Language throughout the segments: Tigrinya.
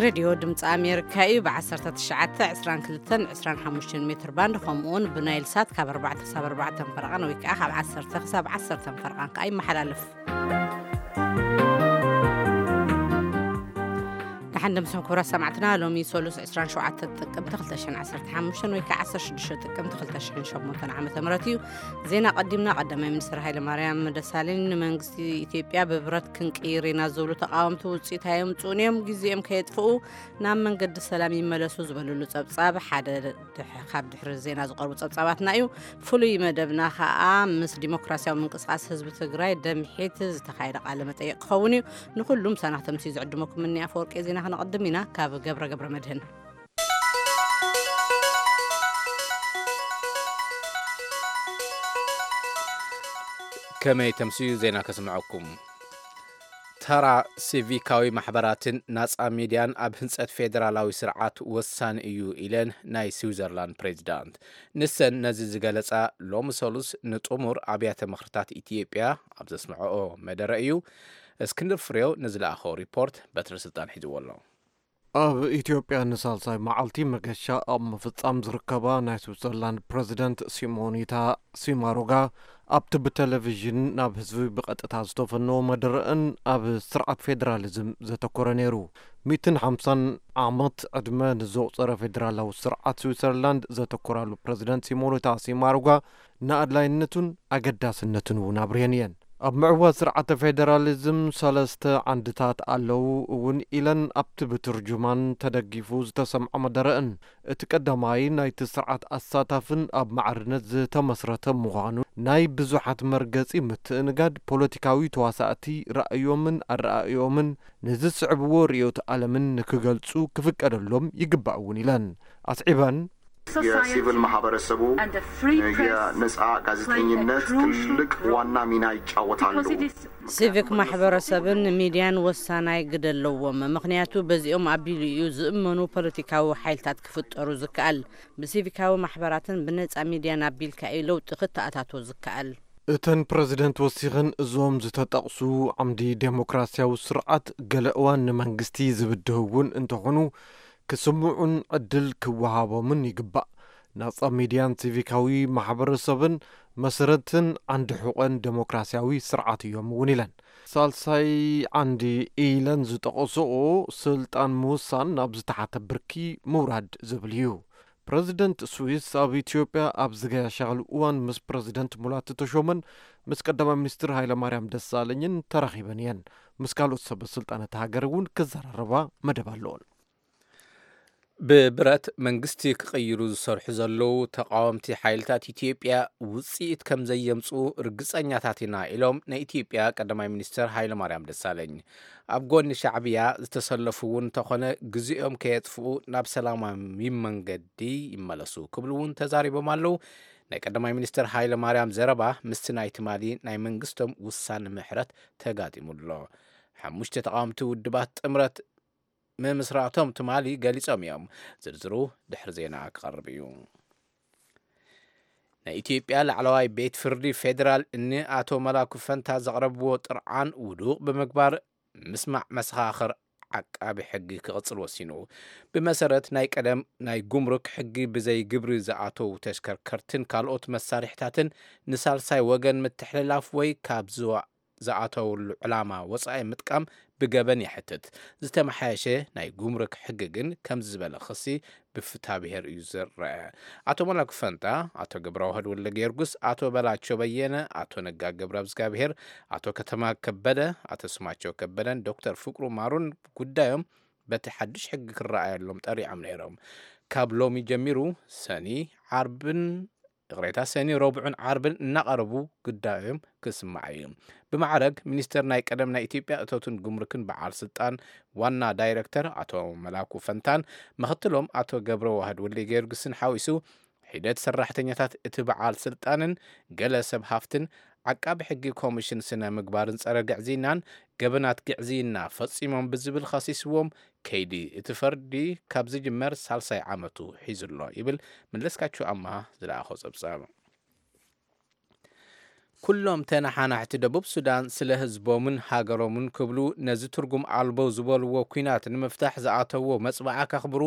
ሬድዮ ድምፂ ኣሜሪካ እዩ። ብ19፣ 22፣ 25 ሜትር ባንድ፣ ከምኡውን ብናይል ሳት ካብ ኣርባዕተ ክሳብ ኣርባዕተ ፈረቓን ወይ ከዓ ካብ ዓሰርተ ክሳብ ዓሰርተ ፈረቓን ከዓ ይመሓላለፍ። ደሓን ደምስኹም ክቡራት ሰማዕትና። ሎሚ ሰሉስ 27 ጥቅምቲ 2015 ወይ ከዓ 16 ጥቅምቲ 2008 ዓመተ ምህረት እዩ። ዜና ቀዲምና። ቀዳማይ ሚኒስትር ሃይለ ማርያም ደሳለኝ ንመንግስቲ ኢትዮጵያ ብብረት ክንቅይር ኢና ዝብሉ ተቃወምቲ ውፅኢት ኣየምፅኡን እዮም፣ ግዜኦም ከየጥፍኡ ናብ መንገዲ ሰላም ይመለሱ ዝበልሉ ጸብጻብ ሓደ ድሕ-፣ ካብ ድሕሪ ዜና ዝቐርቡ ጸብጻባትና እዩ። ፍሉይ መደብና ከኣ ምስ ዲሞክራሲያዊ ምንቅስቃስ ህዝቢ ትግራይ ደምሒት ዝተኻየደ ቃለ መጠይቕ ክኸውን እዩ። ንኹሉም ሳናኽ ተምሲ ዝዕድመኩም እኒ ኣፈወርቂ ዜና ክነቐድም ኢና። ካብ ገብረ ገብረ መድህን። ከመይ ተምስዩ ዜና ከስምዐኩም። ተራ ሲቪካዊ ማሕበራትን ናጻ ሚድያን ኣብ ህንጸት ፌደራላዊ ስርዓት ወሳኒ እዩ ኢለን ናይ ስዊዘርላንድ ፕሬዚዳንት። ንሰን ነዚ ዝገለጻ ሎሚ ሰሉስ ንጥሙር ኣብያተ ምኽርታት ኢትዮጵያ ኣብ ዘስምዐኦ መደረ እዩ። እስክንድር ፍሬው ንዝለኣኸው ሪፖርት በትሪ ስልጣን ሒዝዎ ኣሎ። ኣብ ኢትዮጵያ ንሳልሳይ መዓልቲ መገሻ ኣብ ምፍጻም ዝርከባ ናይ ስዊዘርላንድ ፕረዚደንት ሲሞኒታ ሲማሩጋ ኣብቲ ብቴሌቪዥን ናብ ህዝቢ ብቐጥታ ዝተፈነወ መደረአን ኣብ ስርዓት ፌደራሊዝም ዘተኮረ ነይሩ። ሚእትን ሓምሳን ዓመት ዕድመ ንዘቑጸረ ፌደራላዊ ስርዓት ስዊዘርላንድ ዘተኮራሉ ፕረዚደንት ሲሞኒታ ሲማሩጋ ንኣድላይነቱን ኣገዳስነቱን እውን ኣብርየን እየን። ኣብ ምዕዋት ስርዓተ ፌደራሊዝም ሰለስተ ዓንድታት ኣለዉ እውን ኢለን ኣብቲ ብትርጁማን ተደጊፉ ዝተሰምዐ መደረእን። እቲ ቀዳማይ ናይቲ ስርዓት ኣሳታፍን ኣብ ማዕርነት ዝተመስረተ ምዃኑ፣ ናይ ብዙሓት መርገጺ ምትእንጋድ ፖለቲካዊ ተዋሳእቲ ራእዮምን ኣረኣእዮምን ንዝስዕብዎ ርእዮት ዓለምን ንክገልጹ ክፍቀደሎም ይግባእ እውን ኢለን። ኣስዒበን፣ የሲቪል ማህበረሰቡ የነጻ ጋዜጠኝነት ትልቅ ዋና ሚና ይጫወታሉ። ሲቪክ ማሕበረሰብን ሚድያን ወሳናይ ግደ ኣለዎም፣ ምኽንያቱ በዚኦም ኣቢሉ እዩ ዝእመኑ ፖለቲካዊ ሓይልታት ክፍጠሩ ዝከኣል። ብሲቪካዊ ማሕበራትን ብነጻ ሚድያን ኣቢልካ እዩ ለውጢ ክተኣታቶ ዝከኣል። እተን ፕረዚደንት ወሲኸን፣ እዞም ዝተጠቕሱ ዓምዲ ዴሞክራሲያዊ ስርዓት ገለ እዋን ንመንግስቲ ዝብድህ እውን እንተኾኑ፣ ክስምዑን ዕድል ክወሃቦምን ይግባእ። ናጻ ሚድያን ሲቪካዊ ማሕበረሰብን መሰረትን ዓንዲ ሑቐን ዴሞክራሲያዊ ስርዓት እዮም እውን ኢለን። ሳልሳይ ዓንዲ ኢለን ዝጠቐስኦ፣ ስልጣን ምውሳን ናብ ዝተሓተ ብርኪ ምውራድ ዝብል እዩ። ፕረዚደንት ስዊስ ኣብ ኢትዮጵያ ኣብ ዝገሻሉ እዋን ምስ ፕረዚደንት ሙላቱ ተሾመን ምስ ቀዳማይ ሚኒስትር ሃይለማርያም ደሳለኝን ተራኺበን እየን። ምስ ካልኦት ሰበ ስልጣን እታ ሃገር እውን ክዘራረባ መደብ ኣለዎን። ብብረት መንግስቲ ክቕይሩ ዝሰርሑ ዘለዉ ተቓወምቲ ሓይልታት ኢትዮጵያ ውጽኢት ከም ዘየምጽኡ ርግጸኛታት ኢና ኢሎም ናይ ኢትዮጵያ ቀዳማይ ሚኒስትር ሃይለማርያም ደሳለኝ። ኣብ ጎኒ ሻዕብያ ዝተሰለፉ እውን እንተኾነ ግዜኦም ከየጥፍኡ ናብ ሰላማዊ መንገዲ ይመለሱ ክብሉ እውን ተዛሪቦም ኣለዉ። ናይ ቀዳማይ ሚኒስትር ሃይለማርያም ዘረባ ምስቲ ናይ ትማሊ ናይ መንግስቶም ውሳነ ምሕረት ተጋጢሙ ኣሎ። ሓሙሽተ ተቓወምቲ ውድባት ጥምረት ምምስራቶም ትማሊ ገሊጾም እዮም። ዝርዝሩ ድሕሪ ዜና ክቐርብ እዩ። ናይ ኢትዮጵያ ላዕለዋይ ቤት ፍርዲ ፌዴራል ንኣቶ መላኩ ፈንታ ዘቕረብዎ ጥርዓን ውዱቕ ብምግባር ምስማዕ መሰኻኽር ዓቃቢ ሕጊ ክቕጽል ወሲኑ። ብመሰረት ናይ ቀደም ናይ ጉምሩክ ሕጊ ብዘይ ግብሪ ዝኣተዉ ተሽከርከርትን ካልኦት መሳርሕታትን ንሳልሳይ ወገን ምትሕልላፍ ወይ ካብ ዝዋ-፣ ዝኣተውሉ ዕላማ ወጻኢ ምጥቃም ብገበን የሕትት። ዝተመሓየሸ ናይ ጉምሩክ ሕጊ ግን ከምዚ ዝበለ ክሲ ብፍትሐ ብሔር እዩ ዝረአ። ኣቶ መላኩ ፈንታ፣ ኣቶ ገብረዋህድ ወልደ ጊዮርጊስ፣ ኣቶ በላቸው በየነ፣ ኣቶ ነጋ ገብረ እግዚኣብሔር፣ ኣቶ ከተማ ከበደ፣ ኣቶ ስማቸው ከበደን ዶክተር ፍቅሩ ማሩን ጉዳዮም በቲ ሓድሽ ሕጊ ክረኣየሎም ጠሪዖም ነይሮም። ካብ ሎሚ ጀሚሩ ሰኒ፣ ዓርብን፣ ይቕሬታ፣ ሰኒ፣ ረቡዕን ዓርብን እናቐረቡ ጉዳዮም ክስማዕ እዩ። ብማዕረግ ሚኒስተር ናይ ቀደም ናይ ኢትዮጵያ እቶትን ጉምሩክን በዓል ስልጣን ዋና ዳይረክተር ኣቶ መላኩ ፈንታን ምኽትሎም ኣቶ ገብረ ዋህድ ወልደ ጊዮርጊስን ሓዊሱ ሒደት ሰራሕተኛታት እቲ በዓል ስልጣንን ገለ ሰብ ሃፍትን ዓቃቢ ሕጊ ኮሚሽን ስነ ምግባርን ጸረ ግዕዝይናን ገበናት ግዕዝይና ፈጺሞም ብዝብል ከሲስዎም ከይዲ እቲ ፈርዲ ካብ ዝጅመር ሳልሳይ ዓመቱ ሒዙ ኣሎ ይብል መለስካቸው ኣማሃ ዝለኣኾ ጸብጻብ። ኩሎም ተነሓናሕቲ ደቡብ ሱዳን ስለ ህዝቦምን ሃገሮምን ክብሉ ነዚ ትርጉም ኣልቦ ዝበልዎ ኲናት ንምፍታሕ ዝኣተዎ መጽብዓ ከኽብሩ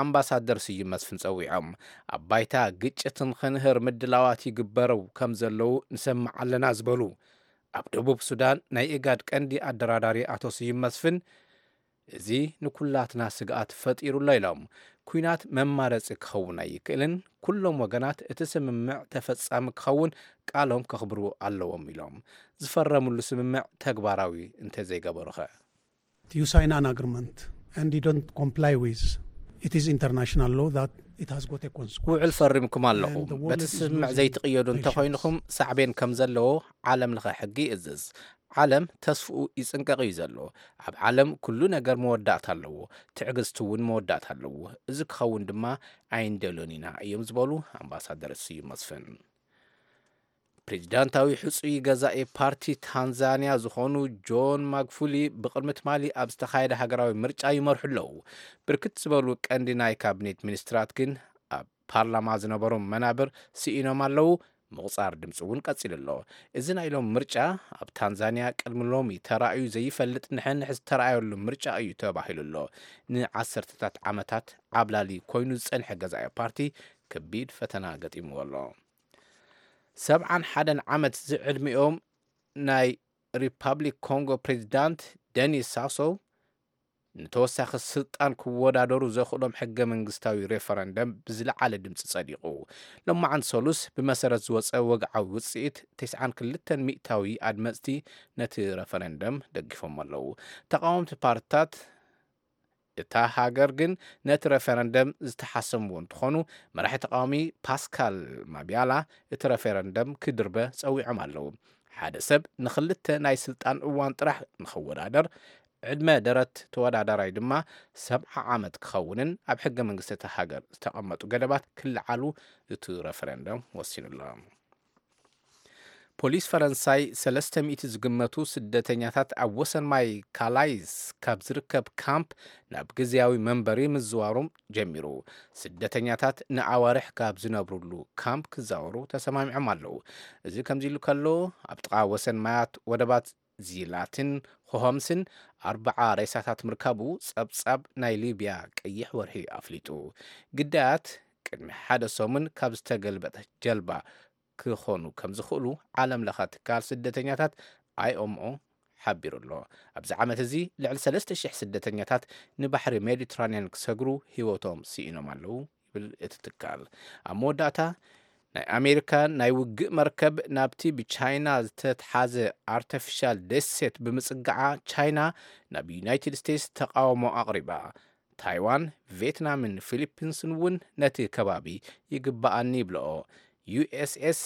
ኣምባሳደር ስዩም መስፍን ጸዊዖም። ኣብ ባይታ ግጭት ንኽንህር ምድላዋት ይግበሩ ከም ዘለዉ ንሰምዕ ኣለና ዝበሉ ኣብ ደቡብ ሱዳን ናይ ኢጋድ ቀንዲ ኣደራዳሪ ኣቶ ስዩም መስፍን፣ እዚ ንኩላትና ስግኣት ፈጢሩ ኣሎ ኢሎም። ኲናት መማረጺ ክኸውን ኣይክእልን። ኩሎም ወገናት እቲ ስምምዕ ተፈጻሚ ክኸውን ቃሎም ከኽብሩ ኣለዎም ኢሎም። ዝፈረምሉ ስምምዕ ተግባራዊ እንተዘይገበሩኸ? You sign an agreement and you don't comply with it is international law that it has got a consequence. ውዕል ፈሪምኩም ኣለኹም። በቲ ስምምዕ ዘይትቕየዱ እንተኾይንኹም ሳዕቤን ከም ዘለዎ ዓለም ለኸ ሕጊ ይእዝዝ። ዓለም ተስፍኡ ይጽንቀቕ እዩ ዘሎ። ኣብ ዓለም ኩሉ ነገር መወዳእታ ኣለዎ፣ ትዕግስቲ እውን መወዳእታ ኣለዎ። እዚ ክኸውን ድማ ኣይንደልዮን ኢና እዮም ዝበሉ ኣምባሳደር ስዩም መስፍን። ፕሬዚዳንታዊ ሕጹይ ገዛኢ ፓርቲ ታንዛንያ ዝኾኑ ጆን ማግፉሊ ብቕድሚ ትማሊ ኣብ ዝተኻየደ ሃገራዊ ምርጫ ይመርሑ ኣለዉ። ብርክት ዝበሉ ቀንዲ ናይ ካቢኔት ሚኒስትራት ግን ኣብ ፓርላማ ዝነበሮም መናብር ስኢኖም ኣለዉ። ምቑጻር ድምፂ እውን ቀፂሉ ኣሎ። እዚ ናይ ሎም ምርጫ ኣብ ታንዛንያ ቅድሚ ሎሚ ተራእዩ ዘይፈልጥ ንሕንሕ ዝተራእየሉ ምርጫ እዩ ተባሂሉ ኣሎ። ንዓሰርተታት ዓመታት ዓብላሊ ኮይኑ ዝፀንሐ ገዛኢ ፓርቲ ከቢድ ፈተና ገጢምዎ ኣሎ። ሰብዓን ሓደን ዓመት ዝዕድሚኦም ናይ ሪፓብሊክ ኮንጎ ፕሬዚዳንት ደኒስ ሳሶ ንተወሳኺ ስልጣን ክወዳደሩ ዘኽእሎም ሕገ መንግስታዊ ሬፈረንደም ብዝለዓለ ድምፂ ጸዲቑ። ሎማዓንቲ ሰሉስ ብመሰረት ዝወፀ ወግዓዊ ውፅኢት ተስዓን ክልተን ሚእታዊ ኣድመፅቲ ነቲ ረፈረንደም ደጊፎም ኣለዉ። ተቃወምቲ ፓርትታት እታ ሃገር ግን ነቲ ረፈረንደም ዝተሓሰምዎ እንትኾኑ፣ መራሒ ተቃዋሚ ፓስካል ማቢያላ እቲ ረፈረንደም ክድርበ ጸዊዖም ኣለዉ። ሓደ ሰብ ንኽልተ ናይ ስልጣን እዋን ጥራሕ ንኽወዳደር፣ ዕድመ ደረት ተወዳዳራይ ድማ ሰብዓ ዓመት ክኸውንን ኣብ ሕገ መንግስቲ እታ ሃገር ዝተቐመጡ ገደባት ክለዓሉ እቲ ረፈረንደም ወሲኑ ኣሎ። ፖሊስ ፈረንሳይ ሰለስተ ሚእቲ ዝግመቱ ስደተኛታት ኣብ ወሰን ማይ ካላይስ ካብ ዝርከብ ካምፕ ናብ ግዝያዊ መንበሪ ምዝዋሮም ጀሚሩ። ስደተኛታት ንኣዋርሕ ካብ ዝነብሩሉ ካምፕ ክዛወሩ ተሰማሚዖም ኣለዉ። እዚ ከምዚ ኢሉ ከሎ፣ ኣብ ጥቓ ወሰን ማያት ወደባት ዚላትን ሆምስን ኣርባዓ ሬሳታት ምርካቡ ጸብጻብ ናይ ሊብያ ቀይሕ ወርሒ ኣፍሊጡ። ግዳያት ቅድሚ ሓደ ሰሙን ካብ ዝተገልበጠ ጀልባ ክኾኑ ከም ዝኽእሉ ዓለም ለኸ ትካል ስደተኛታት ኣይኦምኦ ሓቢሩ ኣሎ። ኣብዚ ዓመት እዚ ልዕሊ ሰለስተ ሽሕ ስደተኛታት ንባሕሪ ሜዲትራንያን ክሰግሩ ህይወቶም ስኢኖም ኣለዉ ይብል እቲ ትካል። ኣብ መወዳእታ ናይ ኣሜሪካ ናይ ውግእ መርከብ ናብቲ ብቻይና ዝተትሓዘ ኣርተፊሻል ደሴት ብምጽጋዓ ቻይና ናብ ዩናይትድ ስቴትስ ተቃውሞ ኣቕሪባ። ታይዋን፣ ቪየትናምን ፊሊፒንስን እውን ነቲ ከባቢ ይግባኣኒ ይብለኦ። ዩ ኤስ ኤስ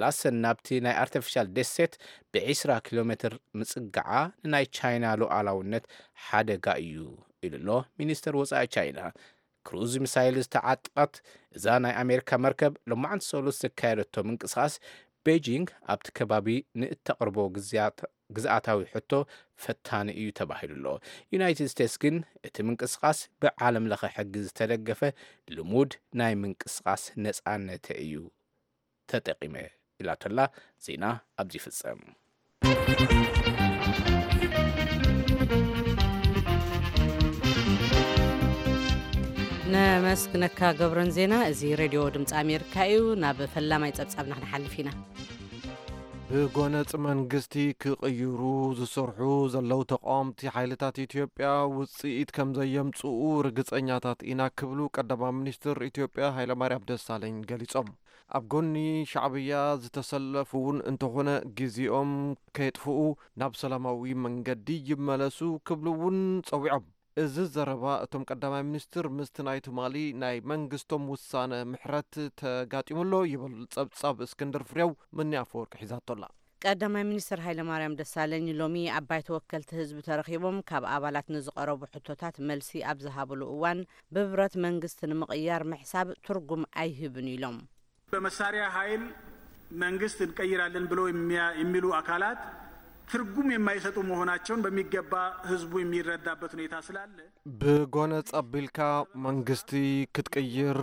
ላሰን ናብቲ ናይ ኣርተፊሻል ደሴት ብ ዒስራ ኪሎ ሜትር ምጽጋዓ ንናይ ቻይና ሉዓላውነት ሓደጋ እዩ ኢሉ ኣሎ ሚኒስተር ወጻኢ ቻይና። ክሩዝ ሚሳይል ዝተዓጠቐት እዛ ናይ ኣሜሪካ መርከብ ሎማዓንቲ ሰሉስ ዘካየደቶ ምንቅስቓስ ቤጂንግ ኣብቲ ከባቢ ንእተቕርቦ ግዝኣታዊ ሕቶ ፈታኒ እዩ ተባሂሉ ኣሎ። ዩናይትድ ስቴትስ ግን እቲ ምንቅስቓስ ብዓለም ለኸ ሕጊ ዝተደገፈ ልሙድ ናይ ምንቅስቓስ ነጻነተ እዩ ተጠቂመ ኢላቶላ። ዜና ኣብዚ ይፍጸም። ነመስግነካ ገብረን ዜና። እዚ ሬድዮ ድምፂ ኣሜሪካ እዩ። ናብ ፈላማይ ፀብፃብና ክንሓልፍ ኢና። ብጎነጽ መንግስቲ ክቕይሩ ዝሰርሑ ዘለዉ ተቃወምቲ ሓይልታት ኢትዮጵያ ውጽኢት ከም ዘየምጽኡ ርግጸኛታት ኢና ክብሉ ቀዳማይ ሚኒስትር ኢትዮጵያ ሃይለማርያም ደሳለኝ ገሊጾም። ኣብ ጎኒ ሻዕብያ ዝተሰለፉ እውን እንተኾነ ግዜኦም ከየጥፍኡ ናብ ሰላማዊ መንገዲ ይመለሱ ክብሉ እውን ጸዊዖም። እዚ ዘረባ እቶም ቀዳማይ ሚኒስትር ምስቲ ናይ ትማሊ ናይ መንግስቶም ውሳነ ምሕረት ተጋጢሙ ኣሎ ይብል ጸብጻብ እስክንድር ፍሬው። ምኒ ኣፈወርቂ ሒዛቶ ኣላ። ቀዳማይ ሚኒስትር ሃይለማርያም ደሳለኝ ሎሚ ኣብ ባይቶ ወከልቲ ህዝቢ ተረኺቦም ካብ ኣባላት ንዝቐረቡ ሕቶታት መልሲ ኣብ ዝሃብሉ እዋን፣ ብብረት መንግስቲ ንምቕያር ምሕሳብ ትርጉም ኣይህብን ኢሎም። በመሳሪያ ኃይል መንግስት እንቀይራለን ብለው የሚያ- የሚሉ አካላት ትርጉም የማይሰጡ መሆናቸውን በሚገባ ህዝቡ የሚረዳበት ሁኔታ ስላለ፣ ብጎነጽ ኣቢልካ መንግስቲ ክትቅይር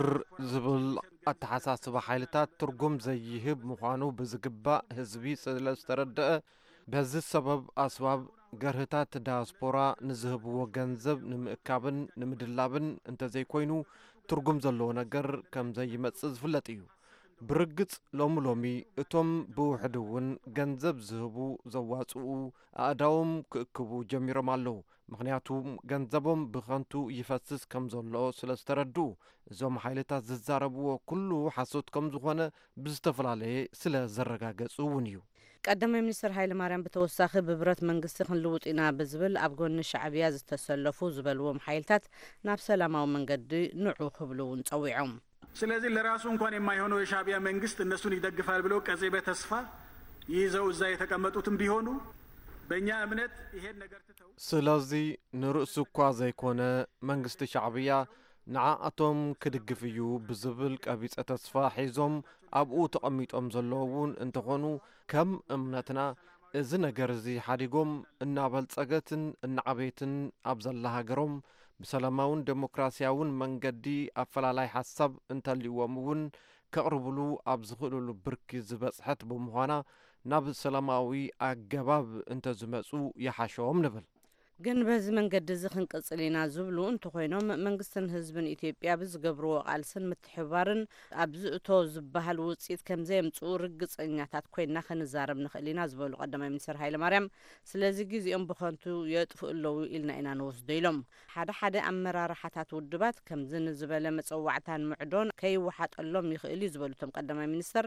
ዝብል ኣተሓሳስባ ሓይልታት ትርጉም ዘይህብ ምዃኑ ብዝግባእ ህዝቢ ስለ ዝተረድአ፣ በዚ ሰበብ ኣስባብ ገርህታት ዳያስፖራ ንዝህብዎ ገንዘብ ንምእካብን ንምድላብን እንተዘይኮይኑ ትርጉም ዘለዎ ነገር ከም ዘይመጽእ ዝፍለጥ እዩ። ብርግጽ ሎሚ ሎሚ እቶም ብውሕዲ እውን ገንዘብ ዝህቡ ዘዋጽኡ ኣእዳዎም ክእክቡ ጀሚሮም ኣለዉ። ምኽንያቱ ገንዘቦም ብኸንቱ ይፈስስ ከም ዘሎ ስለ ዝተረድኡ፣ እዞም ሓይልታት ዝዛረብዎ ኩሉ ሓሶት ከም ዝኾነ ብዝተፈላለየ ስለ ዘረጋገጹ እውን እዩ። ቀዳማይ ሚኒስትር ሃይለ ማርያም ብተወሳኺ ብብረት መንግስቲ ክንልውጥ ኢና ብዝብል ኣብ ጎኒ ሻዕብያ ዝተሰለፉ ዝበልዎም ሓይልታት ናብ ሰላማዊ መንገዲ ንዑ ክብሉ እውን ጸዊዖም። ስለዚህ ለራሱ እንኳን የማይሆነው የሻዕቢያ መንግስት እነሱን ይደግፋል ብለው ቀጺበ ተስፋ ይዘው እዛ የተቀመጡትም ቢሆኑ በእኛ እምነት ይሄን ነገር ትተው ስለዚ ንርእሱ እኳ ዘይኮነ መንግስቲ ሻዕብያ ንዓኣቶም ክድግፍ እዩ ብዝብል ቀቢጸ ተስፋ ሒዞም ኣብኡ ተቐሚጦም ዘለዉ እውን እንተኾኑ ከም እምነትና እዚ ነገር እዚ ሓዲጎም እናበልጸገትን እናዓበየትን ኣብ ዘላ ሃገሮም ብሰላማውን ዴሞክራሲያውን መንገዲ ኣፈላላይ ሓሳብ እንተልይዎም እውን ከቕርብሉ ኣብ ዝኽእልሉ ብርኪ ዝበጽሐት ብምዃና ናብ ሰላማዊ ኣገባብ እንተዝመጹ ይሓሾም ንብል። ግን በዚ መንገዲ እዚ ክንቅጽል ኢና ዝብሉ እንተኾይኖም መንግስትን ህዝብን ኢትዮጵያ ብዝገብርዎ ቃልስን ምትሕባርን ኣብዚ እቶ ዝበሃል ውፅኢት ከምዘየምፅኡ ርግፀኛታት ኮይና ክንዛረብ ንኽእል ኢና ዝበሉ ቀዳማይ ሚኒስትር ሃይለ ማርያም ስለዚ ግዜኦም ብኸንቱ የጥፍኡ ኣለዉ ኢልና ኢና ንወስዶ ኢሎም። ሓደ ሓደ ኣመራርሓታት ውድባት ከምዚ ንዝበለ መፀዋዕታን ምዕዶን ከይወሓጠሎም ይኽእል እዩ ዝበሉ እቶም ቀዳማይ ሚኒስትር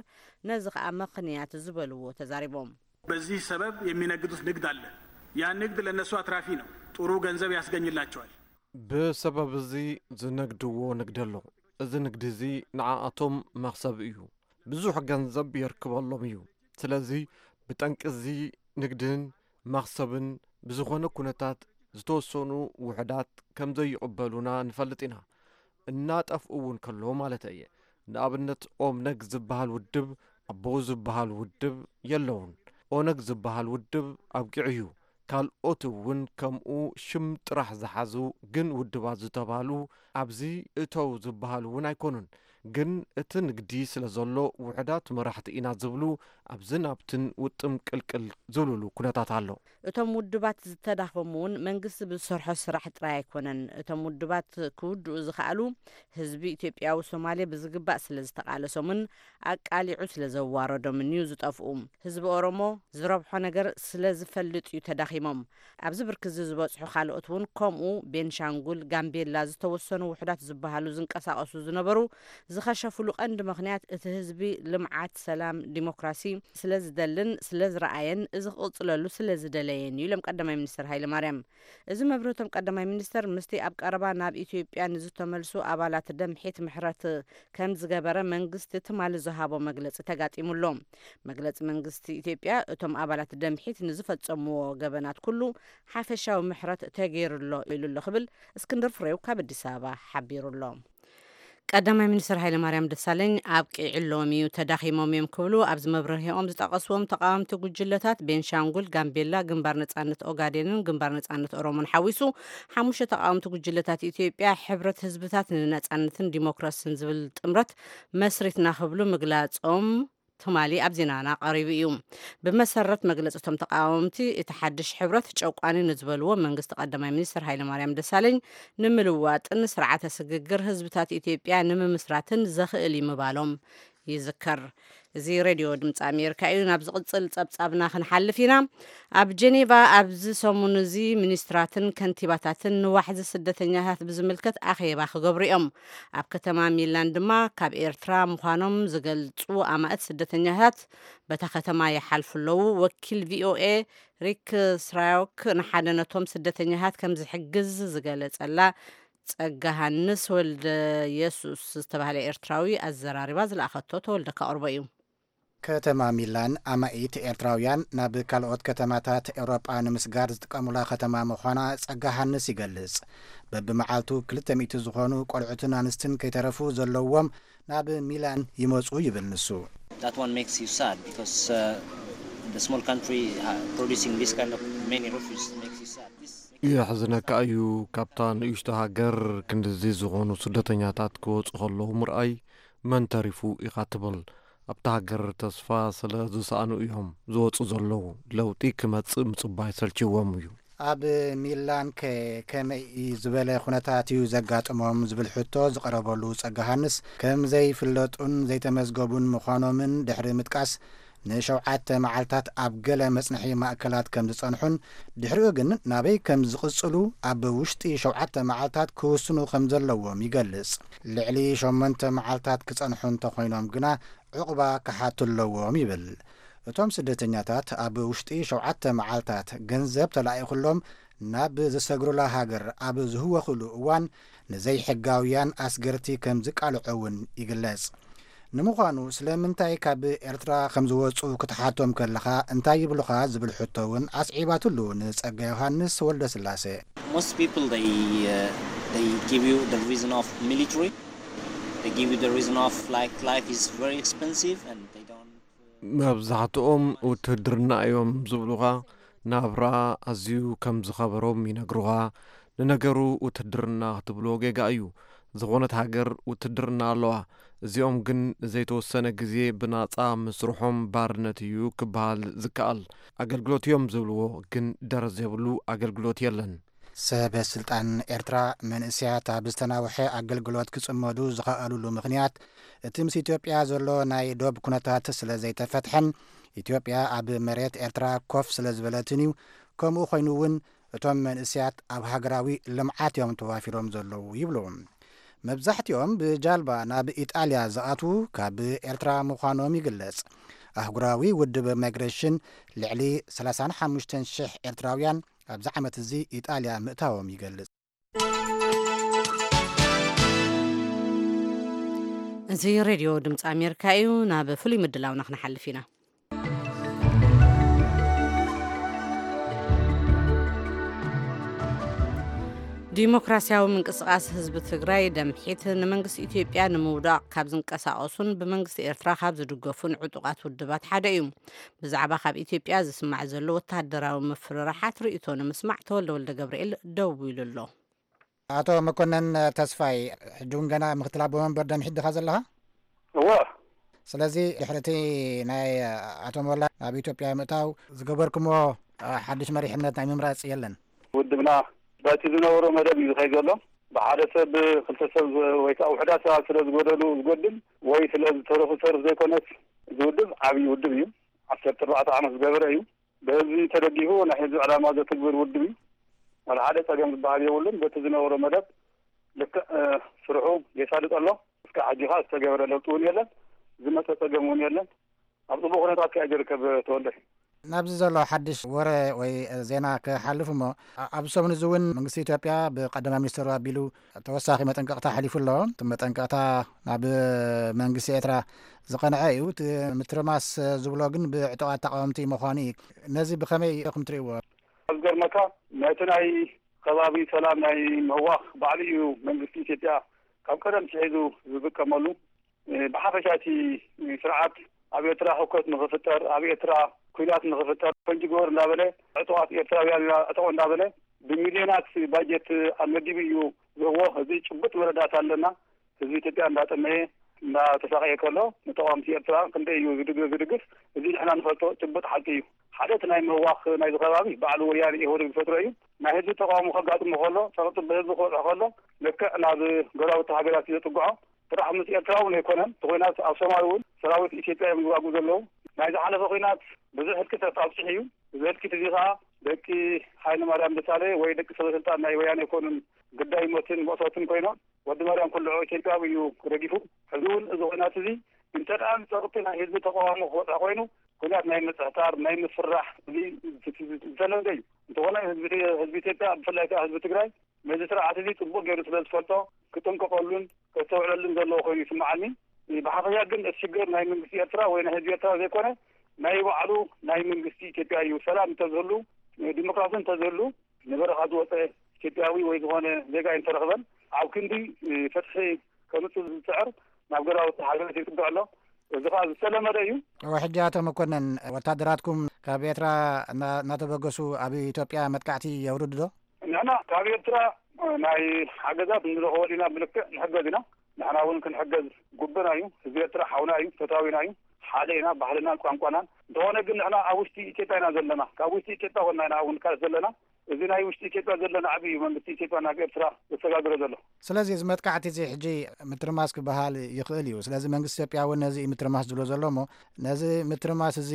ነዚ ከዓ ምኽንያት ዝበልዎ ተዛሪቦም። በዚህ ሰበብ የሚነግዱት ንግድ አለ። ያ ንግድ ለነሱ አትራፊ ነው፣ ጥሩ ገንዘብ ያስገኝላቸዋል። ብሰበብ እዚ ዝነግድዎ ንግዲ ኣሎ። እዚ ንግዲ እዚ ንዓኣቶም መኽሰብ እዩ። ብዙሕ ገንዘብ የርክበሎም እዩ። ስለዚ ብጠንቂ እዚ ንግድን መኽሰብን ብዝኾነ ኩነታት ዝተወሰኑ ውሕዳት ከም ዘይቕበሉና ንፈልጥ ኢና። እናጠፍኡ እውን ከለዉ ማለት እየ። ንኣብነት ኦብነግ ዝበሃል ውድብ ኣቦኡ ዝበሃል ውድብ የለውን። ኦነግ ዝበሃል ውድብ ኣብቂዑ እዩ። ካልኦት እውን ከምኡ ሽም ጥራሕ ዝሓዙ ግን ውድባት ዝተባህሉ ኣብዚ እተው ዝበሃሉ እውን ኣይኮኑን። ግን እቲ ንግዲ ስለ ዘሎ ውሕዳት መራሕቲ ኢና ዝብሉ ኣብዝን ኣብትን ውጥም ቅልቅል ዝብልሉ ኩነታት ኣሎ። እቶም ውድባት ዝተዳኸሙ እውን መንግስቲ ብዝሰርሖ ስራሕ ጥራይ ኣይኮነን። እቶም ውድባት ክውድኡ ዝኸኣሉ ህዝቢ ኢትዮጵያዊ ሶማሌ ብዝግባእ ስለ ዝተቓለሶምን ኣቃሊዑ ስለ ዘዋረዶምን እዩ ዝጠፍኡ። ህዝቢ ኦሮሞ ዝረብሖ ነገር ስለ ዝፈልጥ እዩ ተዳኺሞም። ኣብዚ ብርኪ እዚ ዝበፅሑ ካልኦት እውን ከምኡ ቤንሻንጉል፣ ጋምቤላ ዝተወሰኑ ውሕዳት ዝበሃሉ ዝንቀሳቐሱ ዝነበሩ ዝኸሸፍሉ ቀንዲ ምኽንያት እቲ ህዝቢ ልምዓት፣ ሰላም፣ ዲሞክራሲ ስለ ዝደልን ስለ ዝረኣየን እዚ ክቕፅለሉ ስለ ዝደለየን እዩ ኢሎም ቀዳማይ ሚኒስትር ሃይለ ማርያም። እዚ መብርህቶም ቀዳማይ ሚኒስተር ምስቲ ኣብ ቀረባ ናብ ኢትዮጵያ ንዝተመልሱ ኣባላት ደምሒት ምሕረት ከም ዝገበረ መንግስቲ ትማሊ ዝሃቦ መግለጺ ተጋጢሙ ኣሎ። መግለጺ መንግስቲ ኢትዮጵያ እቶም ኣባላት ደምሒት ንዝፈጸምዎ ገበናት ኩሉ ሓፈሻዊ ምሕረት ተገይሩ ኣሎ ኢሉ ኣሎ ክብል እስክንድር ፍሬው ካብ ኣዲስ ኣበባ ሓቢሩ ኣሎ። ቀዳማይ ሚኒስትር ሃይለማርያም ደሳለኝ ኣብቂዕሎም እዩ፣ ተዳኺሞም እዮም ክብሉ ኣብዚ መብርሂኦም ዝጠቐስዎም ተቓወምቲ ጉጅለታት ቤንሻንጉል፣ ጋምቤላ፣ ግንባር ነጻነት ኦጋዴንን ግንባር ነጻነት ኦሮሞን ሓዊሱ ሓሙሽተ ተቓወምቲ ጉጅለታት ኢትዮጵያ ሕብረት ህዝብታት ንነጻነትን ዲሞክራስን ዝብል ጥምረት መስሪትና ክብሉ ምግላጾም ትማሊ ኣብ ዜናና ቀሪቡ እዩ። ብመሰረት መግለፂ እቶም ተቃወምቲ እቲ ሓድሽ ሕብረት ጨቋኒ ንዝበልዎ መንግስቲ ቀዳማይ ሚኒስትር ሃይለማርያም ደሳለኝ ንምልዋጥን ስርዓተ ስግግር ህዝብታት ኢትዮጵያ ንምምስራትን ዘኽእል እዩ ምባሎም ይዝከር። እዚ ሬድዮ ድምፂ ኣሜሪካ እዩ። ናብ ዝቕፅል ፀብፃብና ክንሓልፍ ኢና። ኣብ ጀኔቫ ኣብዚ ሰሙን እዚ ሚኒስትራትን ከንቲባታትን ንዋሕዚ ስደተኛታት ብዝምልከት ኣኼባ ክገብሩ እዮም። ኣብ ከተማ ሚላን ድማ ካብ ኤርትራ ምዃኖም ዝገልጹ ኣማእት ስደተኛታት በታ ከተማ ይሓልፉ ኣለዉ። ወኪል ቪኦኤ ሪክ ስራዮክ ንሓደ ነቶም ስደተኛታት ከም ዝሕግዝ ዝገለጸላ ጸጋሃንስ ወልደ የሱስ ዝተባህለ ኤርትራዊ ኣዘራሪባ ዝለኣኸቶ ተወልደ ካቕርቦ እዩ። ከተማ ሚላን ኣማኢት ኤርትራውያን ናብ ካልኦት ከተማታት ኤውሮጳ ንምስጋር ዝጥቀሙላ ከተማ ምዃና ጸጋሃንስ ይገልጽ። በብመዓልቱ ክልተ ሚእቲ ዝኾኑ ቆልዑትን ኣንስትን ከይተረፉ ዘለዎም ናብ ሚላን ይመጹ ይብል ንሱ። That one makes you sad because uh, the small country uh, producing this kind of many refugees makes you sad. This makes you sad. የሕዝነካ እዩ። ካብታ ንእሽቶ ሃገር ክንድዚ ዝኾኑ ስደተኛታት ክወጹ ከለዉ ምርኣይ መን ተሪፉ ኢኻ ትብል? ኣብታ ሃገር ተስፋ ስለ ዝሰኣኑ እዮም ዝወጹ ዘለዉ። ለውጢ ክመጽእ ምጽባይ ሰልችዎም እዩ። ኣብ ሚላን ከ ከመይ ዝበለ ኩነታት እዩ ዘጋጥሞም ዝብል ሕቶ ዝቐረበሉ ጸጋሃንስ፣ ከም ዘይፍለጡን ዘይተመዝገቡን ምዃኖምን ድሕሪ ምጥቃስ፣ ንሸውዓተ መዓልታት ኣብ ገለ መጽንሒ ማእከላት ከም ዝጸንሑን ድሕሪኡ ግን ናበይ ከም ዝቕጽሉ ኣብ ውሽጢ ሸውዓተ መዓልታት ክውስኑ ከም ዘለዎም ይገልጽ። ልዕሊ ሸሞንተ መዓልታት ክጸንሑ እንተኾይኖም ግና ዕቑባ ክሓቱ ኣለዎም ይብል። እቶም ስደተኛታት ኣብ ውሽጢ ሸውዓተ መዓልታት ገንዘብ ተላኢኹሎም ናብ ዝሰግሩላ ሃገር ኣብ ዝህወኹሉ እዋን ንዘይሕጋውያን ኣስገርቲ ከም ዝቃልዑ እውን ይግለጽ። ንምዃኑ ስለምንታይ ካብ ኤርትራ ከም ዝወጹ ክትሓቶም ከለኻ እንታይ ይብሉኻ ዝብል ሕቶ እውን ኣስዒባትሉ ንጸጋ ዮሃንስ ወልደስላሴ። Most people, they, uh, they give you the reason of military. They give you the reason of, like, life is very expensive and they don't. መብዛሕትኦም ውትድርና እዮም ዝብሉኻ። ናብራ ኣዝዩ ከም ዝኸበሮም ይነግሩኻ። ንነገሩ ውትድርና ክትብሎ ጌጋ እዩ። ዝኾነት ሃገር ውትድርና ኣለዋ። እዚኦም ግን ንዘይተወሰነ ግዜ ብናጻ ምስርሖም ባርነት እዩ ክበሃል ዝከኣል። ኣገልግሎት እዮም ዝብልዎ፣ ግን ደረዝ የብሉ ኣገልግሎት የለን። ሰበ ስልጣን ኤርትራ መንእሰያት ኣብ ዝተናውሐ ኣገልግሎት ክጽመዱ ዝኸኣሉሉ ምኽንያት፣ እቲ ምስ ኢትዮጵያ ዘሎ ናይ ዶብ ኩነታት ስለ ዘይተፈትሐን ኢትዮጵያ ኣብ መሬት ኤርትራ ኮፍ ስለ ዝበለትን እዩ። ከምኡ ኮይኑ እውን እቶም መንእሰያት ኣብ ሃገራዊ ልምዓት እዮም ተዋፊሮም ዘለዉ ይብሉ። መብዛሕትኦም ብጃልባ ናብ ኢጣልያ ዝኣትዉ ካብ ኤርትራ ምዃኖም ይግለጽ። ኣህጉራዊ ውድብ ማይግሬሽን ልዕሊ ሰላሳን ሓሙሽተን ሽሕ ኤርትራውያን ኣብዚ ዓመት እዚ ኢጣልያ ምእታዎም ይገልጽ። እዚ ሬድዮ ድምፂ ኣሜሪካ እዩ። ናብ ፍሉይ ምድላውና ክንሓልፍ ኢና። ዲሞክራሲያዊ ምንቅስቃስ ህዝቢ ትግራይ፣ ደምሒት፣ ንመንግስቲ ኢትዮጵያ ንምውዳቕ ካብ ዝንቀሳቐሱን ብመንግስቲ ኤርትራ ካብ ዝድገፉን ዕጡቓት ውድባት ሓደ እዩ። ብዛዕባ ካብ ኢትዮጵያ ዝስማዕ ዘሎ ወታደራዊ ምፍርራሓት ርእይቶ ንምስማዕ ተወልደ ወልደ ገብርኤል ደዊሉ ኣሎ። ኣቶ መኮነን ተስፋይ፣ ሕጂ እውን ገና ምክትል ኣቦ መንበር ደምሒት ዲኻ ዘለኻ? እወ። ስለዚ ድሕሪ እቲ ናይ ኣቶ ሞላ ናብ ኢትዮጵያ ምእታው ዝገበርኩሞ ሓድሽ መሪሕነት ናይ ምምራጽ የለን? ውድብና በቲ ዝነበሮ መደብ እዩ ዝኸይድ ዘሎ። ብሓደ ሰብ፣ ክልተ ሰብ ወይ ከዓ ውሕዳት ሰባት ስለ ዝጎደሉ ዝጎድል ወይ ስለ ዝተረፉ ዝተርፍ ዘይኮነስ፣ እዚ ውድብ ዓብዪ ውድብ እዩ። ዓሰርተ ኣርባዕተ ዓመት ዝገበረ እዩ። ብህዝቢ ተደጊፉ ናይ ህዝቢ ዕላማ ዘትግብር ውድብ እዩ። ዋላ ሓደ ጸገም ዝበሃል የብሉን። በቲ ዝነበሮ መደብ ልክዕ፣ እ፣ ስርሑ የሳልጥ ኣሎ። እስካብ ሕጂ ኸኣ ዝተገበረ ለውጢ እውን የለን። ዝመጸ ጸገም እውን የለን። ኣብ ጽቡቕ ኩነታት ከኣ ዝርከብ ተወልደ። ናብዚ ዘሎ ሓድሽ ወረ ወይ ዜና ክሓልፍ እሞ፣ ኣ-፣ ኣብዚ ሰሙን እዚ እውን መንግስቲ ኢትዮጵያ ብቀዳማይ ሚኒስትሩ ኣቢሉ ተወሳኺ መጠንቀቕታ ኣሕሊፉ ኣሎ። እቲ መጠንቀቕታ ናብ መንግስቲ ኤርትራ ዝቐንዐ እዩ። እቲ ምትርማስ ዝብሎ ግን ብዕጡቓት ተቃወምቲ ምዃኑ እዩ። ነዚ ብኸመይ ኢኹም ትርእይዎ? ኣብ ዝገርመካ፣ ነቲ ናይ ከባቢ ሰላም ናይ ምህዋኽ ባዕሉ እዩ መንግስቲ ኢትዮጵያ ካብ ቀደም ትሒዙ ዝጥቀመሉ። እ፣ ብሓፈሻ እቲ ስርዓት ኣብ ኤርትራ ህውከት ንኽፍጠር፣ ኣብ ኤርትራ ኲናት ንኽፍጠር፣ ፈንጂ ግበር እንዳበለ፣ ዕጡቓት ኤርትራውያን ኢና እዕጠቑ እንዳበለ፣ ብሚልዮናት ባጀት ኣመዲቡ እዩ ዝህቦ። እዚ ጭቡጥ መረዳእታ ኣለና። ህዝቢ ኢትዮጵያ እንዳጠመየ፣ እንዳተሳቐየ ከሎ፣ ንተቃወምቲ ኤርትራ ክንደይ እዩ ዝድግ-፣ ዝድግፍ? እዚ ንሕና ንፈልጦ ጭቡጥ ሓቂ እዩ። ሓደ እቲ ናይ ምህዋኽ ናይዚ ከባቢ ባዕሉ ወያነ ኢህወዴግ ዝፈጥሮ እዩ። ናይ ህዝቢ ተቃውሞ ከጋጥሞ ከሎ፣ ጸቕጢ ብህዝቢ ክበጽሖ ከሎ፣ ልክዕ ናብ ጎረባብቲ ሃገራት እዩ ዘጥግዖ። ጥራሕ ምስ ኤርትራ እውን ኣይኮነን። እቲ ኲናት ኣብ ሶማል እውን ሰራዊት ኢትዮጵያ እዮም ዝዋግኡ ዘለዉ። ናይ ዝሓለፈ ኲናት ብዙሕ ህልቂት ኣብጺሑ እዩ። እዚ ህልቂት እዚ ኸኣ ደቂ ሃይለማርያም ደሳለኝ ወይ ደቂ ሰበስልጣን ናይ ወያነ ኣይኮኑን ግዳይ ሞትን መእሰርትን ኮይኖም። ወዲ ማርያም ኩልዖ ኢትዮጵያዊ እዩ ረጊፉ። ሕዚ እውን እዚ ኲናት እዚ እንተ ደኣ ንጸቕጢ ናይ ህዝቢ ተቃውሞ ክበጽሖ ኮይኑ፣ ኲናት ናይ ምጽሕታር፣ ናይ ምፍራሕ፣ እዚ ዝተለምደ እዩ። እንተኾነ ህዝቢ፣ ህዝቢ ኢትዮጵያ፣ ብፍላይ ከኣ ህዝቢ ትግራይ፣ ነዚ ስርዓት እዚ ጽቡቕ ገይሩ ስለ ዝፈልጦ፣ ክጥንቀቐሉን ከስተውዕለሉን ዘለዎ ኮይኑ ይስምዓኒ። ብሓፈሻ ግን እቲ ሽግር ናይ መንግስቲ ኤርትራ ወይ ናይ ህዝቢ ኤርትራ ዘይኮነ፣ ናይ ባዕሉ ናይ መንግስቲ ኢትዮጵያ እዩ። ሰላም እንተዝህሉ፣ ዲሞክራሲ እንተዝህሉ፣ ንበረኻ ዝወጸ ኢትዮጵያዊ ወይ ዝኾነ ዜጋ ኣይምተረኽበን። ኣብ ክንዲ፣ እ፣ ፍትሒ ከምጽእ ዝጽዕር ናብ ገዛውቲ ሃገራት ይጽግዕ ኣሎ። እዚ ኸኣ ዝተለመደ እዩ። እወ፣ ሕጂ ኣቶ መኮነን፣ ወታደራትኩም ካብ ኤርትራ እና-፣ እናተበገሱ ኣብ ኢትዮጵያ መጥቃዕቲ የውርዱ ዶ? ንሕና ካብ ኤርትራ ናይ ሓገዛት ንረኽበሉ ኢና፣ ብልክዕ ንሕገዝ ኢና። ንሕና እውን ክንሕገዝ ግቡእና እዩ። ህዝቢ ኤርትራ ሓውና እዩ፣ ፈታዊና እዩ። ሓደ ኢና፣ ባህልናን ቋንቋናን። እንተኾነ ግን ንሕና ኣብ ውሽጢ ኢትዮጵያ ኢና ዘለና። ካብ ውሽጢ ኢትዮጵያ ኮና ኢና እውን ንቃለስ ዘለና። እዚ ናይ ውሽጢ ኢትዮጵያ ዘሎ ናዕቢ እዩ መንግስቲ ኢትዮጵያ ናብ ኤርትራ ዘሰጋግሮ ዘሎ። ስለዚ እዚ መጥቃዕቲ እዚ ሕጂ ምትርማስ ክበሃል ይኽእል እዩ። ስለዚ መንግስቲ ኢትዮጵያ እውን ነዚ እዩ ምትርማስ ዝብሎ ዘሎ እሞ፣ ነዚ ምትርማስ እዚ፣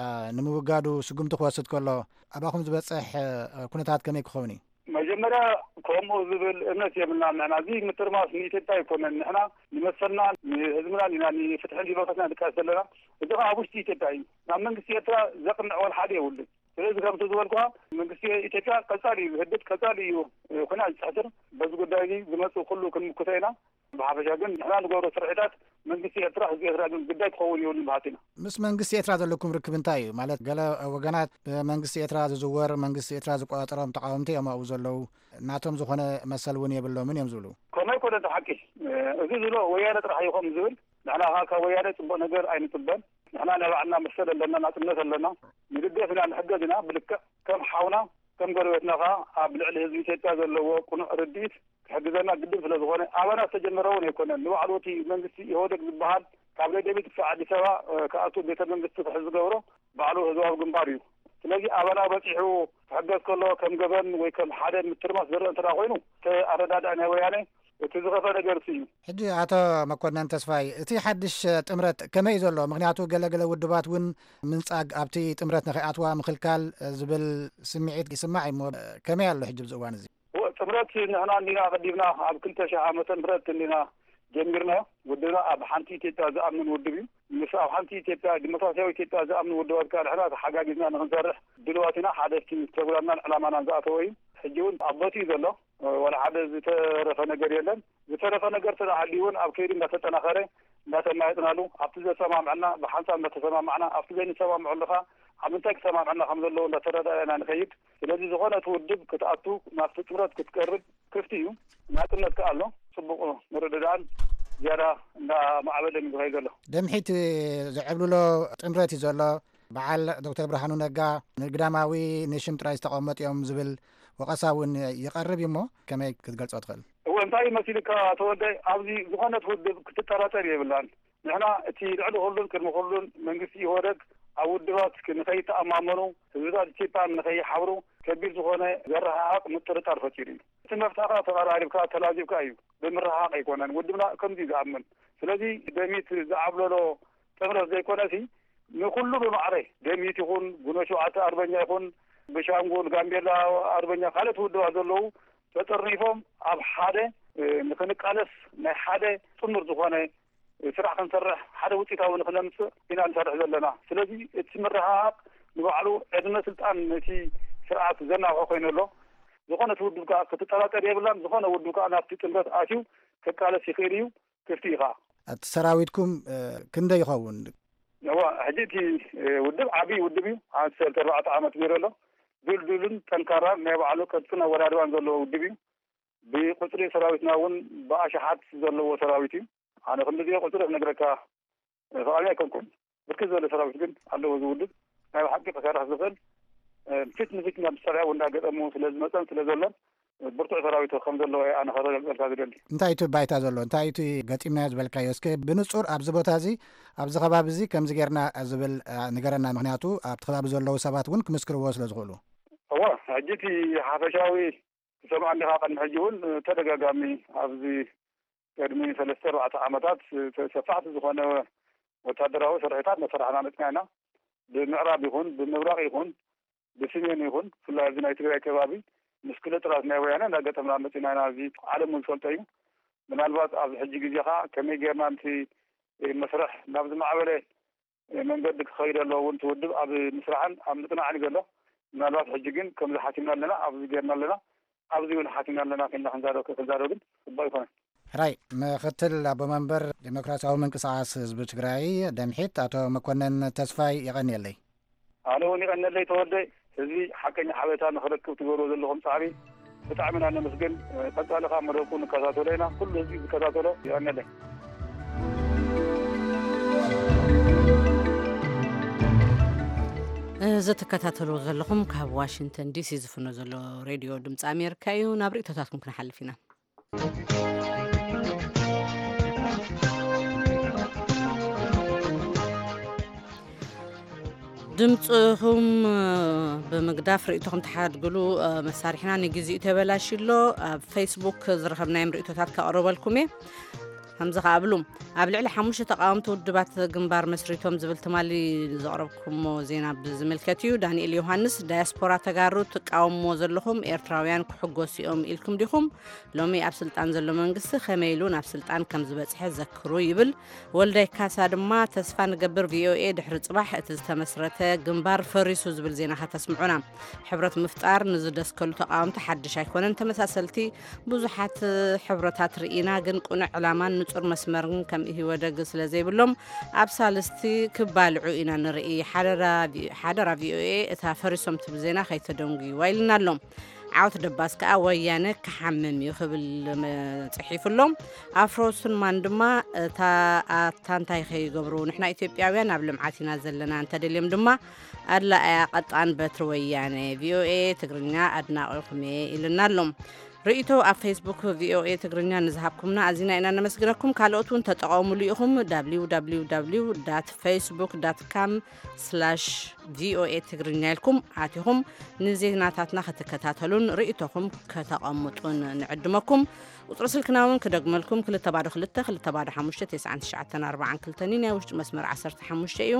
አ፣ ንምውጋዱ ስጉምቲ ክወስድ ከሎ ኣባኹም ዝበጽሕ፣ አ፣ ኩነታት ከመይ ክኸውን እዩ? መጀመርያ ከምኡ ዝብል እምነት የብልናን። ንሕና እዚ ምትርማስ ንኢትዮጵያ ኣይኮነን። ንሕና ንመሰልና፣ ንህዝብና ኢና፣ ንፍትሕን ዲሞክራሲና ንቃለስ ዘለና። እዚ ከዓ ኣብ ውሽጢ ኢትዮጵያ እዩ። ናብ መንግስቲ ኤርትራ ዘቕንዕ ወላ ሓደ የብሉን። ስለዚ ከምቲ ዝበልኩኻ መንግስቲ ኢትዮጵያ ቀጻሊ እዩ ዝህድድ፣ ቀጻሊ እዩ፣ እ፣ ኩናት ዝጽሕትር። በዚ ጉዳይ እዚ ዝመጽእ ኩሉ ክንምክቶ ኢና። ብሓፈሻ ግን ንሕና ንገብሮ ስርሒታት መንግስቲ ኤርትራ፣ ህዝቢ ኤርትራ ግን ግዳይ ክኸውን የብሉን በሃልቲ ኢና። ምስ መንግስቲ ኤርትራ ዘለኩም ርክብ እንታይ እዩ? ማለት ገለ ወገናት ብመንግስቲ ኤርትራ ዝዝወር፣ መንግስቲ ኤርትራ ዝቆጻጸሮም ተቃወምቲ እዮም ኣብኡ ዘለዉ፣ ናቶም ዝኾነ መሰል እውን የብሎምን እዮም ዝብሉ። ከምኡ ኣይኮነን እቲ ሓቂ። እ፣ እዚ ዝብሎ ወያነ ጥራሕ እዩ ከምኡ ዝብል። ንሕና ኸኣ ካብ ወያነ ጽቡቕ ነገር ኣይንጽበን። ንሕና ናይ ባዕልና መሰል ኣለና፣ ናጽነት ኣለና። ንድገፍ ኢና፣ ንሕገዝ ኢና። ብልክዕ ከም ሓውና፣ ከም ጎረቤትና ኸኣ ኣብ ልዕሊ ህዝቢ ኢትዮጵያ ዘለዎ ቅኑዕ ርድኢት ክሕግዘና ግድን ስለ ዝኾነ፣ ኣባና ዝተጀመረ እውን ኣይኮነን። ንባዕሉ እቲ መንግስቲ ኢህወደግ ዝበሃል ካብ ደደቢት ክሳብ ኣዲስ ኣበባ፣ እ፣ ክኣቱ ቤተ መንግስቲ ክሕዝ ዝገብሮ ባዕሉ ህዝባዊ ግንባር እዩ። ስለዚ ኣባና በጺሑ ክሕገዝ ከሎ ከም ገበን ወይ ከም ሓደ ምትርማስ ዝረአ እንተ ደኣ ኮይኑ፣ እቲ ኣረዳድኣ ናይ ወያነ እቲ ዝኸፍአ ነገር እሱ እዩ። ሕጂ ኣቶ መኮነን ተስፋይ፣ እቲ ሓድሽ ጥምረት ከመይ እዩ ዘሎ? ምኽንያቱ ገለ ገለ ውድባት እውን ምንጻግ፣ ኣብቲ ጥምረት ንኸይኣትዋ ምኽልካል ዝብል ስምዒት ይስማዕ እዩ እሞ፣ ከመይ ኣሎ ሕጂ ኣብዚ እዋን እዚ? እወ፣ ጥምረት ንሕና እንዲና ኣቐዲምና ኣብ ክልተ ሺሕ ዓመተ ምህረት እንዲና ጀሚርናዮ። ውድብና ኣብ ሓንቲ ኢትዮጵያ ዝኣምን ውድብ እዩ። ምስ ኣብ ሓንቲ ኢትዮጵያ፣ ዲሞክራሲያዊ ኢትዮጵያ ዝኣምን ውድባት ከኣ ንሕና ተሓጋጊዝና ንኽንሰርሕ ድልዋት ኢና። ሓደ ኣብቲ ፕሮግራምናን ዕላማናን ዝኣተወ እዩ። ሕጂ እውን ኣብ ቦትኡ እዩ ዘሎ። ወላ ሓደ ዝተረፈ ነገር የለን። ዝተረፈ ነገር ተደኣ ሃልዩ እውን ኣብ ከይዲ እንዳተጠናኸረ፣ እንዳተማየጥናሉ፣ ኣብቲ ዘሰማምዐና ብሓንሳብ እንዳተሰማማዕና፣ ኣብቲ ዘይንሰማምዐሉ ኸኣ ኣብ ምንታይ ክሰማምዐና ከም ዘለዎ እንዳተረዳዳእና ንኸይድ። ስለዚ ዝኾነ እቲ ውድብ ክትኣቱ፣ ናብቲ ጥምረት ክትቀርብ ክፍቲ እዩ። ናጽነት ከኣ ኣሎ። ጽቡቕ ምርድዳእን ዝያዳ እንዳማዕበለን እዩ ዝኸይድ ዘሎ። ደምሒት ዘዕብልሎ ጥምረት እዩ ዘሎ። በዓል ዶክተር ብርሃኑ ነጋ ንግዳማዊ ንሽም ጥራይ ዝተቐመጡ እዮም ዝብል ወቐሳ እውን ይቐርብ እዩ እሞ፣ ከመይ ክትገልጾ ትኽእል? እወ፣ እንታይ መሲልካ ተወልደ፣ ኣብዚ ዝኾነት ውድብ ክትጠራጠር የብላን። ንሕና እቲ ልዕሊ ኩሉን ቅድሚ ኩሉን መንግስቲ ኢህወደግ ኣብ ውድባት ንኸይተኣማመኑ፣ ህዝብታት ኢትዮጵያ ንኸይሓብሩ ከቢድ ዝኾነ ዘረሓቕ ምጥርጣር ፈጢሩ እዩ። እቲ መፍትሒ ከኣ ተቐራሪብካ ተላዚብካ እዩ፣ ብምርሕሓቕ ኣይኮነን። ውድብና ከምዚ እዩ ዝኣምን። ስለዚ ደሚት ዝዓብለሎ ጥምረት ዘይኮነሲ፣ ንኹሉ ብማዕረ ደሚት ይኹን፣ ጉኖ ሸውዓተ ኣርበኛ ይኹን፣ ብሻንጉል፣ ጋምቤላ ኣርበኛ፣ ካልኦት ውድባት ዘለዉ ተጠርኒፎም ኣብ ሓደ፣ እ፣ ንኽንቃለስ ናይ ሓደ ጥሙር ዝኾነ ስራሕ ክንሰርሕ፣ ሓደ ውፅኢታዊ ንኽነምፅእ ኢና ንሰርሕ ዘለና። ስለዚ እቲ ምርሕሓቕ ንባዕሉ ዕድመ ስልጣን ነቲ ስርዓት ዘናውሖ ኮይኑ ኣሎ። ዝኾነት ውድብ ከኣ ክትጠራጠር የብላን። ዝኾነ ውድብ ከኣ ናብቲ ጥምረት ኣትዩ ክቃለስ ይኽእል እዩ፣ ክፍቲ እዩ ከኣ። እቲ ሰራዊትኩም፣ እ፣ ክንደይ ይኸውን? እዋ፣ ሕጂ እቲ፣ እ፣ ውድብ ዓብዪ ውድብ እዩ። ኣብ ሰለስተ ኣርባዕተ ዓመት ገይሩ ኣሎ። ድልዱልን ጠንካራን ናይ ባዕሉ ቅርጽን ኣወዳድባን ዘለዎ ውድብ እዩ። ብቁጽሪ ሰራዊትና እውን ብኣሽሓት ዘለዎ ሰራዊት እዩ። ኣነ ክንድዚኦ ቁጽሪ ክነግረካ ፍቓደኛ ኣይኮንኩን። ብርክት ዝበለ ሰራዊት ግን ኣለዎ እዚ ውድብ። ናይ ብሓቂ ክሰርሕ ዝኽእል፣ እ፣ ፊት ንፊት ናብ መሳርያ እውን እንዳገጠሙ ስለ ዝመጸን ስለ ዘሎን፣ ብርቱዕ ሰራዊት ከም ዘለዎ እየ ኣነ ከረጋግጸልካ ዝደሊ። እንታይ እቲ ባይታ ዘሎ? እንታይ እቲ ገጢምናዮ ዝበልካዮ? እስከ ብንጹር ኣብዚ ቦታ እዚ፣ ኣብዚ ከባቢ እዚ ከምዚ ጌርና ዝብል፣ እ፣ ንገረና። ምኽንያቱ ኣብቲ ከባቢ ዘለዉ ሰባት እውን ክምስክርዎ ስለ ዝኽእሉ። እወ፣ ሕጂ እቲ ሓፈሻዊ ትሰምዓኒ ኢኻ። ቅድሚ ሕጂ እውን ተደጋጋሚ ኣብዚ ቅድሚ ሰለስተ ኣርባዕተ ዓመታት ሰፋሕቲ ዝኾነ ወታደራዊ ስርሒታት መሰራሕና መፅና ኢና። ብምዕራብ ይኹን ብምብራቕ ይኹን ብስሜን ይኹን ብፍላይ ኣብዚ ናይ ትግራይ ከባቢ ምስ ክልጥራት ናይ ወያነ እንዳገጠምና መፂና ኢና። እዚ ዓለም እውን ዝፈልጦ እዩ። ምናልባት ኣብዚ ሕጂ ግዜ ኸዓ ከመይ ጌርና ነቲ መስርሕ ናብ ዝማዕበለ መንገዲ ክኸይድ ኣለዎ እውን እቲ ውድብ ኣብ ምስራሕን ኣብ ምጽናዕን እዩ ዘሎ። ምናልባት ሕጂ ግን ከምዚ ሓሲብና ኣለና፣ ኣብዚ ጌርና ኣለና፣ ኣብዚ እውን ሓሲብና ኣለና ከይልና ክንዛረብ፣ ክንዛረብ ግን ጽቡቕ ኣይኮነን። ሕራይ፣ ምክትል ኣቦ መንበር ዴሞክራሲያዊ ምንቅስቓስ ህዝቢ ትግራይ ደምሒት ኣቶ መኮነን ተስፋይ የቐንየለይ። ኣነ እውን የቐንየለይ ተወልደ፣ ህዝቢ ሓቀኛ ሓበሬታ ንኽረክብ ትገብርዎ ዘለኹም ጻዕሪ ብጣዕሚ ኢና ነመስግን። ቀጻሊ ኸኣ መደብኩም ንከታተሎ ኢና። ኩሉ ህዝቢ ዝከታተሎ የቐንየለይ። እዚ ትከታተልዎ ዘለኹም ካብ ዋሽንግተን ዲሲ ዝፍኖ ዘሎ ሬድዮ ድምፂ ኣሜሪካ እዩ። ናብ ርእይቶታትኩም ክንሓልፍ ኢና። ድምፅኹም ብምግዳፍ ርእይቶኹም ተሓድግሉ መሳርሕና ንግዚኡ ተበላሽሎ። ኣብ ፌስቡክ ዝረኸብናዮም ርእይቶታት ከቕርበልኩም እየ። ከምዚ ከኣ ብሉ። ኣብ ልዕሊ ሓሙሽተ ተቃወምቲ ውድባት ግንባር መስሪቶም ዝብል ትማሊ ዘቕረብኩሞ ዜና ብዝምልከት እዩ። ዳንኤል ዮሃንስ፣ ዳያስፖራ ተጋሩ ትቃወምዎ ዘለኹም ኤርትራውያን ክሕጎሱ እዮም ኢልኩም ዲኹም? ሎሚ ኣብ ስልጣን ዘሎ መንግስቲ ከመይ ኢሉ ናብ ስልጣን ከም ዝበጽሐ ዘክሩ ይብል። ወልዳይ ካሳ ድማ፣ ተስፋ ንገብር ቪኦኤ ድሕሪ ጽባሕ እቲ ዝተመስረተ ግንባር ፈሪሱ ዝብል ዜና ከተስምዑና። ሕብረት ምፍጣር ንዝደስከሉ ተቃወምቲ ሓድሽ ኣይኮነን። ተመሳሰልቲ ብዙሓት ሕብረታት ርኢና፣ ግን ቅኑዕ ዕላማን ንጹር መስመርን ከም ኢህወደግ ስለ ዘይብሎም፣ ኣብ ሳልስቲ ክባልዑ ኢና ንርኢ። ሓደራ ቪ-፣ ሓደራ ቪኦኤ፣ እታ ፈሪሶም ትብል ዜና ከይተደንጉይዋ ኢልና ኣሎ። ዓወት ደባስ ከኣ ወያነ ክሓምም እዩ ክብል መ-፣ ጽሒፉ ኣሎ። ኣፍሮ ሱንማን ድማ፣ እታ ኣታ እንታይ ከይገብሩ፣ ንሕና ኢትዮጵያውያን ኣብ ልምዓት ኢና ዘለና፣ እንተደልዮም ድማ ኣድላኣያ ቀጣን በትሪ ወያነ። ቪኦኤ ትግርኛ ኣድናቒኹም እየ ኢልና ኣሎ። ርእይቶ ኣብ ፌስቡክ ቪኦኤ ትግርኛ ንዝሃብኩምና ኣዚና ኢና ነመስግነኩም። ካልኦት እውን ተጠቐሙሉ ኢኹም። www facebook com slash voa ትግርኛ ኢልኩም ኣቲኹም ንዜናታትና ክትከታተሉን ርእይቶኹም ከተቐምጡን ንዕድመኩም። ቁጽሪ ስልክና እውን ክደግመልኩም፣ ክልተ ባዶ ክልተ፣ ክልተ ባዶ ሓሙሽተ፣ ተስዓን ትሽዓተን ኣርባዓን ክልተን እዩ። ናይ ውሽጢ መስመር ዓሰርተ ሓሙሽተ እዩ።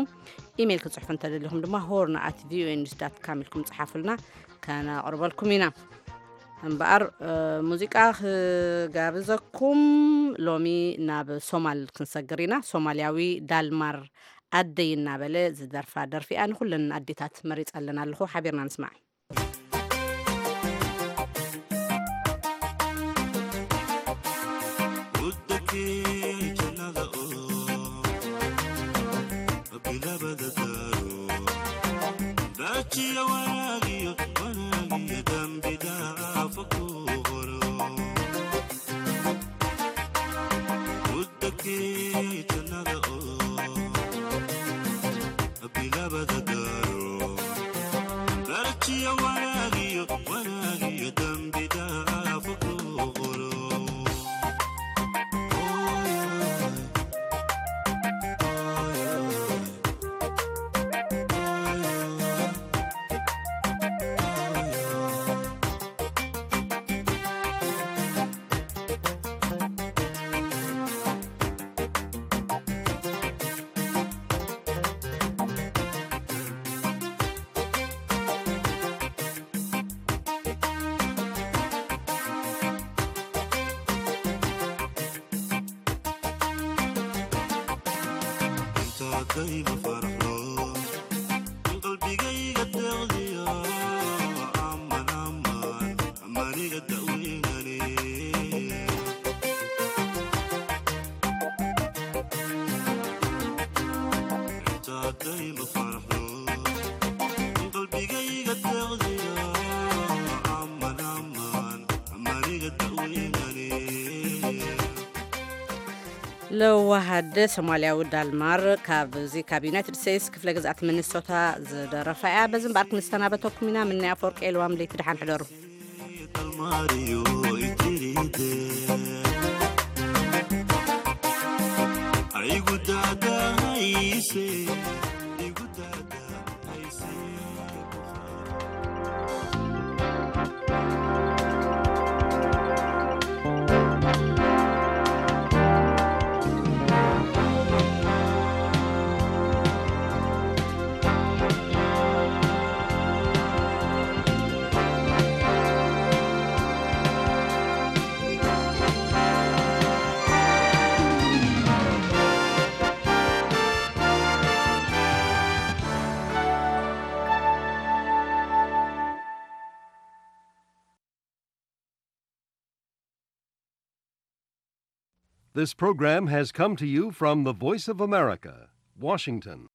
ኢሜይል ክጽሕፉ እንተደሊኹም ድማ ሆርን at voa news dot com ኢልኩም ጽሓፉልና፣ ከነቕርበልኩም ኢና። እምበኣር፣ እ፣ ሙዚቃ ክጋብዘኩም፣ ሎሚ ናብ ሶማል ክንሰግር ኢና። ሶማልያዊ ዳልማር ኣደይ እናበለ ዝደርፋ ደርፊ እያ። ንኹለን ኣዴታት መሪጸ ኣለና ኣለኹ፣ ሓቢርና ንስማዕ። ለዋህ ኣደ ሶማልያዊ ዳልማር፣ ካብዚ ካብ ዩናይትድ ስቴትስ ክፍለ ግዝኣት ሚኒሶታ ዝደረፋ እያ። በዚ እምበኣር ክንሰናበተኩም ኢና። ምናይ ኣፈወርቂ የልዋም፣ ለይቲ ደሓን ሕደሩ። This program has come to you from the Voice of America, Washington.